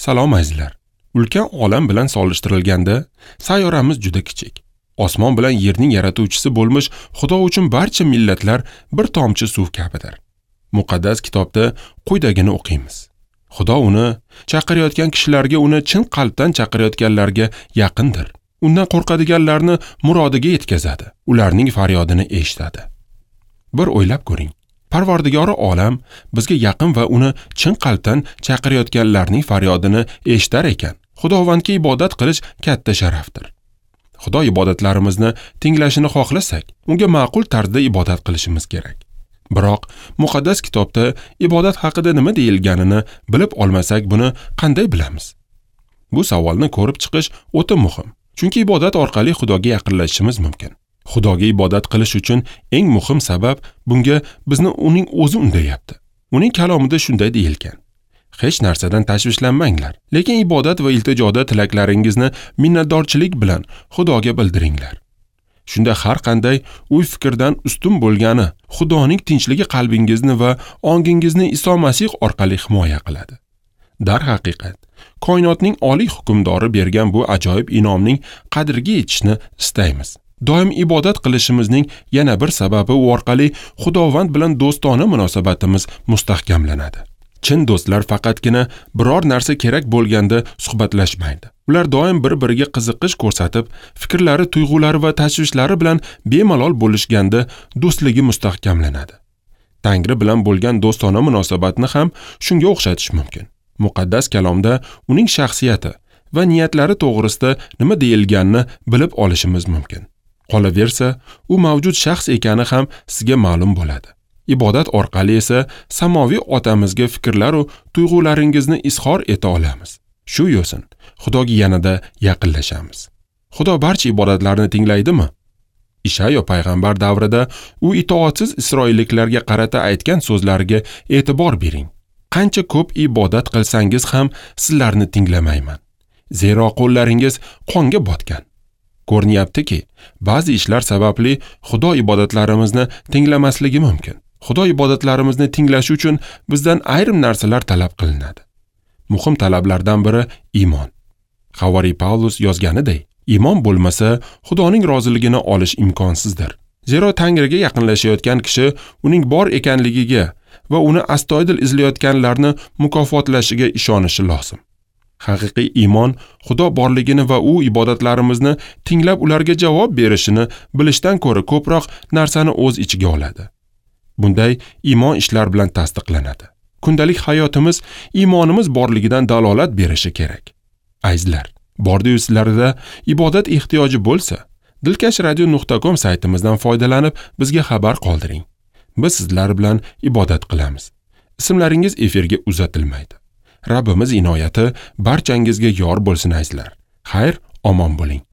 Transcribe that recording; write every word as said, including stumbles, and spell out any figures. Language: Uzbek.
Salom azizlar. Ulkan olam bilan solishtirilganda sayyoramiz juda kichik. Osmon bilan yerning yaratuvchisi bo'lmish Xudo uchun barcha millatlar bir tomchi suv kabidir. Muqaddas kitobda quyidagini o'qiymiz. Xudo uni chaqirayotgan kishilarga, uni chin qalbdan chaqirayotganlarga yaqindir. Undan qo'rqadiganlarni murodiga yetkazadi, ularning faryodini eshitadi. Bir o'ylab ko'ring. Parvardigori olam bizga yaqin va uni chin qalbdan chaqirayotganlarning faryodini eshitar ekan. Xudovandga ibodat qilish katta sharafdir. Xudo ibodatlarimizni tinglashini xohlasak, unga ma'qul tarzda ibodat qilishimiz kerak. Biroq muqaddas kitobda ibodat haqida nima deyilganini bilib olmasak, buni qanday bilamiz? Bu savolni ko'rib chiqish o'ta muhim. Chunki ibodat orqali Xudoga yaqinlashishimiz mumkin. Xudoga ibodat qilish uchun eng muhim sabab bunga bizni uning o'zi undayapti. Uning kalomida shunday deyilgan: Hech narsadan tashvishlanmanglar, lekin ibodat va iltijoda tilaklaringizni minnatdorchilik bilan Xudoga bildiringlar. Shunda har qanday o'y-fikrdan ustun bo'lgani Xudoning tinchligi qalbingizni va ongingizni Iso Masih orqali himoya qiladi. Darhaqiqat, koinotning oliy hukmdori bergan bu ajoyib inomning qadriga yetishni istaymiz. Doim ibodat qilishimizning yana bir sababi u orqali Xudovand bilan do'stona munosabatimiz mustahkamlanadi. Chin do'stlar faqatgina biror narsa kerak bo'lganda suhbatlashmaydi. Ular doim bir-biriga qiziqish ko'rsatib, fikrlari, tuyg'ulari va tashvishlari bilan bemalol bo'lishganda do'stligi mustahkamlanadi. Tangri bilan bo'lgan do'stona munosabatni ham shunga o'xshatish mumkin. Muqaddas kalomda uning shaxsiyati va niyatlari to'g'risida nima deyilganini bilib olishimiz mumkin. Qolaversa, u mavjud shaxs ekani ham sizga ma'lum bo'ladi. Ibodat orqali esa samoviy otamizga fikrlar va tuyg'ularingizni izhor eta olamiz. Shu yo'sin Xudoga yanada yaqinlashamiz. Xudo barcha ibodatlarni tinglaydimi? Ishayo payg'ambar davrida u itoatsiz isroilliklarga qarata aytgan so'zlariga e'tibor bering. Qancha ko'p ibodat qilsangiz ham sizlarni tinglamayman. Zero qo'llaringiz qonga botgan. Ko'rinyaptiki, ba'zi ishlar sababli Xudo ibodatlarimizni tinglamasligi mumkin. Xudo ibodatlarimizni tinglashi uchun bizdan ayrim narsalar talab qilinadi. Muhim talablardan biri iymon. Havariy Pavlus yozganiday, iymon bo'lmasa Xudoning roziligini olish imkonsizdir. Zero Tangriga yaqinlashayotgan kishi uning bor ekanligiga va uni astoydil izlayotganlarni mukofotlashiga ishonishi lozim. Haqiqiy iymon Xudo borligini va u ibodatlarimizni tinglab ularga javob berishini bilishdan ko'ra ko'proq narsani o'z ichiga oladi. Bunday iymon ishlar bilan tasdiqlanadi. Kundalik hayotimiz iymonimiz borligidan dalolat berishi kerak. Azizlar, bordi-yu sizlarda ibodat ehtiyoji bo'lsa, dilkash radio nuqta com saytimizdan foydalanib bizga xabar qoldiring. Biz sizlar bilan ibodat qilamiz. Ismlaringiz efirga uzatilmaydi. Rabbimiz inoyati barchangizga yor bo'lsin azizlar. Xayr, omon bo'ling.